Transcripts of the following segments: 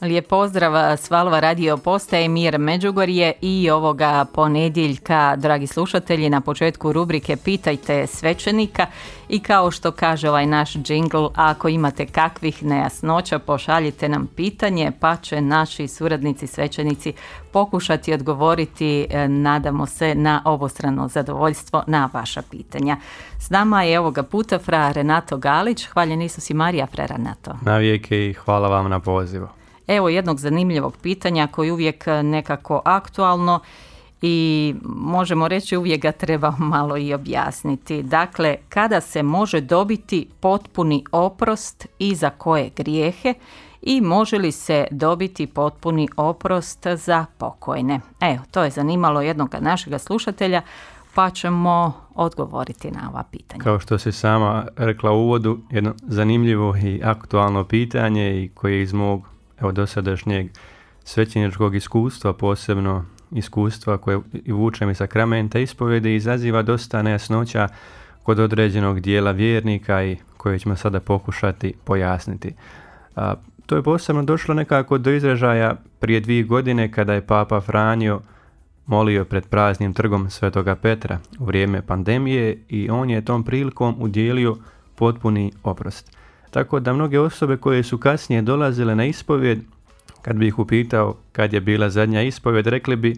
Lijep pozdrav s Valova radio postaje Mir Međugorje i ovoga ponedjeljka, dragi slušatelji, na početku rubrike Pitajte svećenika i kao što kaže ovaj naš džingl, ako imate kakvih nejasnoća pošaljite nam pitanje pa će naši suradnici svećenici pokušati odgovoriti, nadamo se, na obostrano zadovoljstvo na vaša pitanja. S nama je ovoga puta fra Renato Galić. Hvaljen Isus i Marija, fra Renato. Navijeke i hvala vam na pozivu. Evo jednog zanimljivog pitanja koji uvijek nekako aktualno i možemo reći uvijek ga treba malo i objasniti. Dakle, kada se može dobiti potpuni oprost i za koje grijehe i može li se dobiti potpuni oprost za pokojne? Evo, to je zanimalo jednog našega slušatelja, pa ćemo odgovoriti na ova pitanja. Kao što si sama rekla u uvodu, jedno zanimljivo i aktualno pitanje i koje iz mog dosadašnjeg svećeničkog iskustva, posebno iskustva koje vučem iz sakramenta ispovjede, izaziva dosta nejasnoća kod određenog dijela vjernika i koje ćemo sada pokušati pojasniti. To je posebno došlo nekako do izražaja prije 2 godine kada je Papa Franjo molio pred praznim trgom Svetoga Petra u vrijeme pandemije i on je tom prilikom udjelio potpuni oprost. Tako da mnoge osobe koje su kasnije dolazile na ispovjed, kad bi ih upitao kad je bila zadnja ispovjed, rekli bi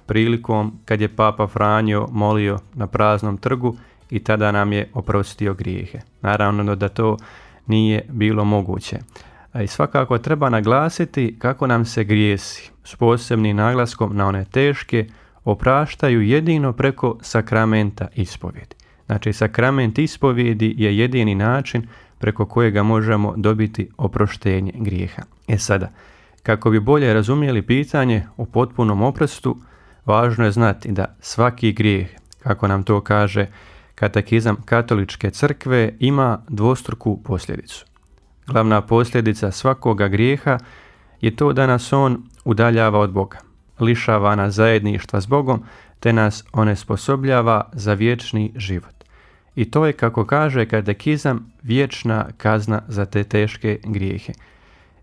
prilikom kad je Papa Franjo molio na praznom trgu i tada nam je oprostio grijehe. Naravno da to nije bilo moguće. I svakako treba naglasiti kako nam se grijesi, s posebnim naglaskom na one teške, opraštaju jedino preko sakramenta ispovjedi. Znači, sakrament ispovjedi je jedini način preko kojega možemo dobiti oproštenje grijeha. Sada, kako bi bolje razumjeli pitanje o potpunom oprostu, važno je znati da svaki grijeh, kako nam to kaže katekizam Katoličke crkve, ima dvostruku posljedicu. Glavna posljedica svakoga grijeha je to da nas on udaljava od Boga, lišava nas zajedništva s Bogom, te nas onesposobljava za vječni život. I to je, kako kaže katekizam, vječna kazna za te teške grijehe.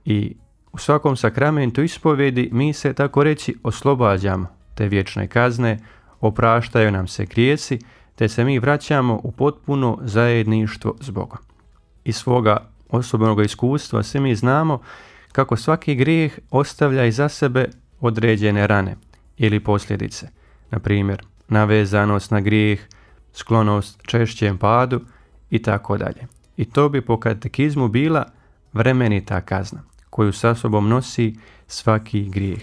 I u svakom sakramentu ispovjedi mi se, tako reći, oslobađamo te vječne kazne, opraštaju nam se grijesi, te se mi vraćamo u potpuno zajedništvo s Bogom. Iz svoga osobnog iskustva svi mi znamo kako svaki grijeh ostavlja iza sebe određene rane ili posljedice. Na primjer, navezanost na grijeh, sklonost češćem padu i tako dalje. I to bi po katekizmu bila vremenita kazna koju sa sobom nosi svaki grijeh.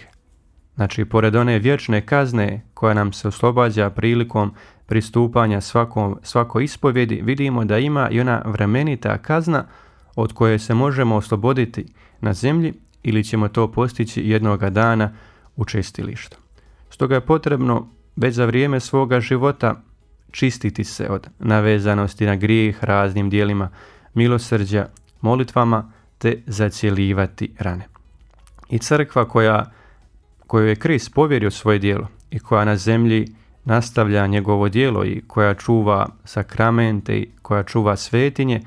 Znači, pored one vječne kazne koja nam se oslobađa prilikom pristupanja svakoj ispovjedi, vidimo da ima i ona vremenita kazna od koje se možemo osloboditi na zemlji ili ćemo to postići jednoga dana u čistilištu. Stoga je potrebno već za vrijeme svoga života čistiti se od navezanosti na grijeh raznim dijelima milosrđa, molitvama, te zacjeljivati rane. I crkva kojoj je Krist povjerio svoje djelo i koja na zemlji nastavlja njegovo djelo i koja čuva sakramente i koja čuva svetinje,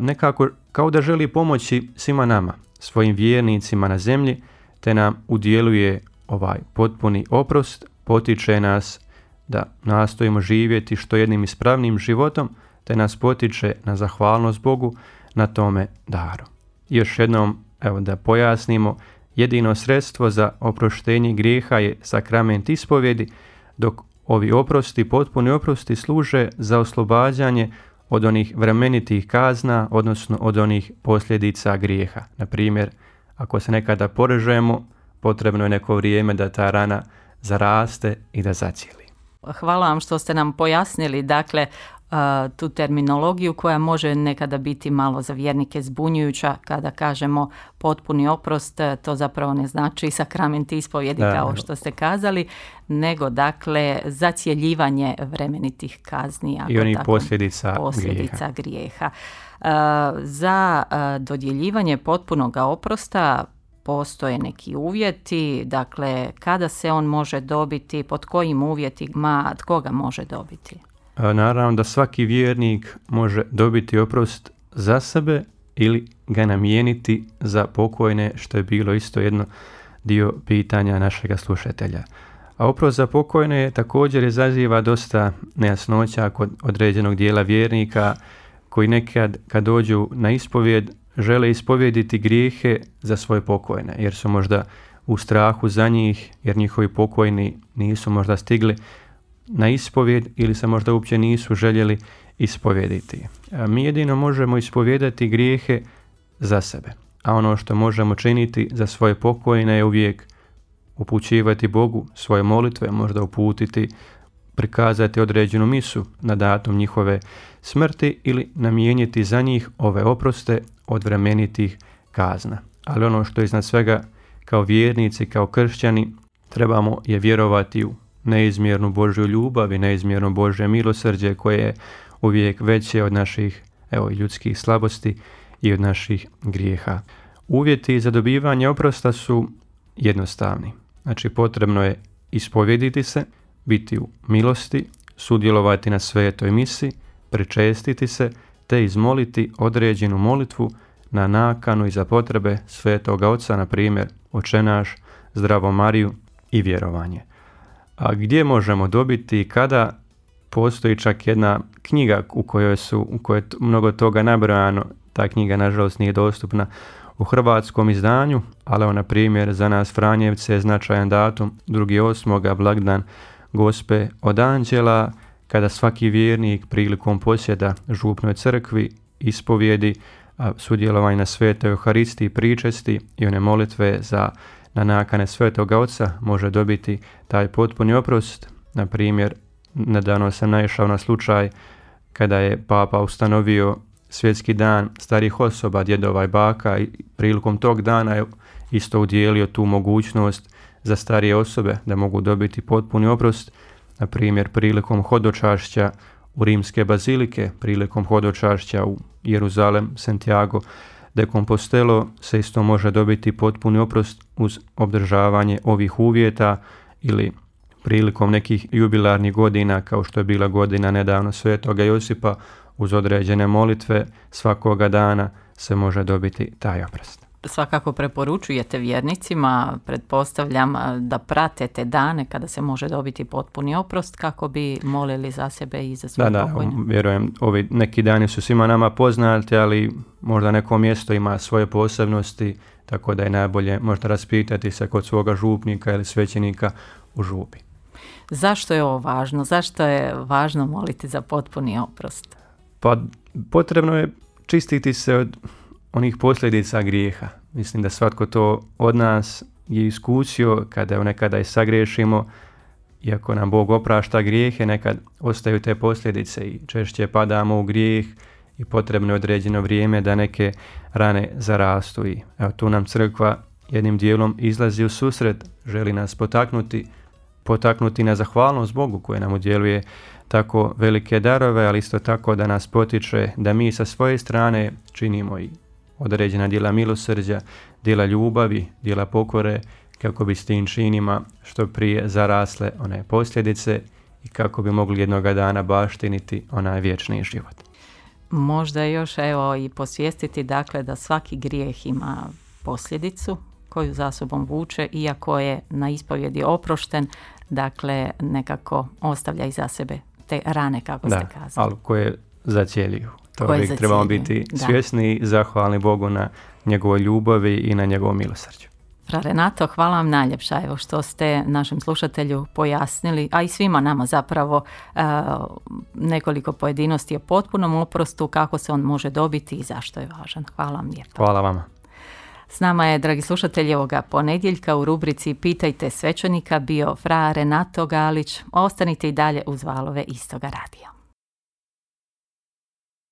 nekako kao da želi pomoći svima nama, svojim vjernicima na zemlji, te nam udjeluje ovaj potpuni oprost, potiče nas da nastojimo živjeti što jednim ispravnim životom, te nas potiče na zahvalnost Bogu na tome daru. Još jednom, da pojasnimo, jedino sredstvo za oproštenje grijeha je sakrament ispovjedi, dok ovi oprosti, potpuni oprosti, služe za oslobađanje od onih vremenitih kazna, odnosno od onih posljedica grijeha. Na primjer, ako se nekada porežemo, potrebno je neko vrijeme da ta rana zaraste i da zacijeli. Hvala vam što ste nam pojasnili, dakle, tu terminologiju koja može nekada biti malo za vjernike zbunjujuća. Kada kažemo potpuni oprost, to zapravo ne znači sakrament ispovjedi kao što ste kazali, nego dakle zacjeljivanje vremenitih kazni i onih posljedica grijeha. Za dodjeljivanje potpunog oprosta postoje neki uvjeti, dakle kada se on može dobiti, pod kojim uvjetima, tko ga može dobiti? Naravno da svaki vjernik može dobiti oprost za sebe ili ga namijeniti za pokojne, što je bilo isto jedno dio pitanja našega slušatelja. A oprost za pokojne također izaziva dosta nejasnoća kod određenog dijela vjernika koji nekad kad dođu na ispovjed žele ispovjediti grijehe za svoje pokojne, jer su možda u strahu za njih, jer njihovi pokojni nisu možda stigli na ispovjed ili se možda uopće nisu željeli ispovjediti. Mi jedino možemo ispovjedati grijehe za sebe, a ono što možemo činiti za svoje pokojne je uvijek upućivati Bogu svoje molitve, možda uputiti, prikazati određenu misu na datum njihove smrti ili namijeniti za njih ove oproste od vremenitih kazna. Ali ono što iznad svega kao vjernici, kao kršćani, trebamo je vjerovati u neizmjernu Božju ljubav i neizmjerno Božje milosrđe koje je uvijek veće od naših ljudskih slabosti i od naših grijeha. Uvjeti za dobivanje oprosta su jednostavni. Znači potrebno je ispovjediti se, biti u milosti, sudjelovati na svetoj misi, pričestiti se te izmoliti određenu molitvu na nakanu i za potrebe Svetoga Oca, na primjer Oče naš, Zdravo Mariju i vjerovanje. A gdje možemo dobiti i kada? Postoji čak jedna knjiga u kojoj je mnogo toga nabrojano. Ta knjiga nažalost nije dostupna u hrvatskom izdanju, ali na primjer za nas Franjevce je značajan datum 2.8. blagdan Gospe od Anđela, kada svaki vjernik prilikom posjeda župnoj crkvi ispovjedi, sudjelovanje na svetoj Euharistiji, pričesti i one molitve na nakane Svetoga Oca može dobiti taj potpuni oprost. Na primjer, nedavno sam naišao na slučaj kada je Papa ustanovio svjetski dan starih osoba, djedova i baka, i prilikom tog dana je isto udjelio tu mogućnost za starije osobe da mogu dobiti potpuni oprost. Na primjer, prilikom hodočašća u rimske bazilike, prilikom hodočašća u Jeruzalem, Santiago de Compostelo se isto može dobiti potpuni oprost uz obdržavanje ovih uvjeta, ili prilikom nekih jubilarnih godina kao što je bila godina nedavno Svetoga Josipa, uz određene molitve svakoga dana se može dobiti taj oprost. Svakako preporučujete vjernicima, pretpostavljam, da prate te dane kada se može dobiti potpuni oprost kako bi molili za sebe i za svoje pokojne. Da, vjerujem, ovi neki dani su svima nama poznati, ali možda neko mjesto ima svoje posebnosti, tako da je najbolje možda raspitati se kod svoga župnika ili svećenika u župi. Zašto je ovo važno? Zašto je važno moliti za potpuni oprost? Pa potrebno je čistiti se od onih posljedica grijeha. Mislim da svatko to od nas je iskusio kada nekada i sagriješimo, iako nam Bog oprašta grijehe, nekad ostaju te posljedice i češće padamo u grijeh i potrebno je određeno vrijeme da neke rane zarastu. I tu nam crkva jednim dijelom izlazi u susret, želi nas potaknuti na zahvalnost Bogu koji nam udjeljuje tako velike darove, ali isto tako da nas potiče da mi sa svoje strane činimo i određena djela milosrđa, djela ljubavi, djela pokore, kako bi s tim činima što prije zarasle one posljedice i kako bi mogli jednoga dana baštiniti onaj vječni život. Možda još i posvijestiti dakle da svaki grijeh ima posljedicu koju za sobom vuče, iako je na ispovjedi oprošten, dakle nekako ostavlja iza sebe te rane, kako ste kazali. Ali koje zacijeljuju. To uvijek trebamo biti svjesni i zahvalni Bogu na njegovoj ljubavi i na njegovom milosrđu. Fra Renato, hvala vam najljepša što ste našem slušatelju pojasnili, a i svima nama zapravo nekoliko pojedinosti o potpunom oprostu, kako se on može dobiti i zašto je važan. Hvala vam lijepo. Hvala vama. S nama je, dragi slušatelji, ovoga ponedjeljka u rubrici Pitajte svećenika bio fra Renato Galić. Ostanite i dalje uz valove Istoga radija.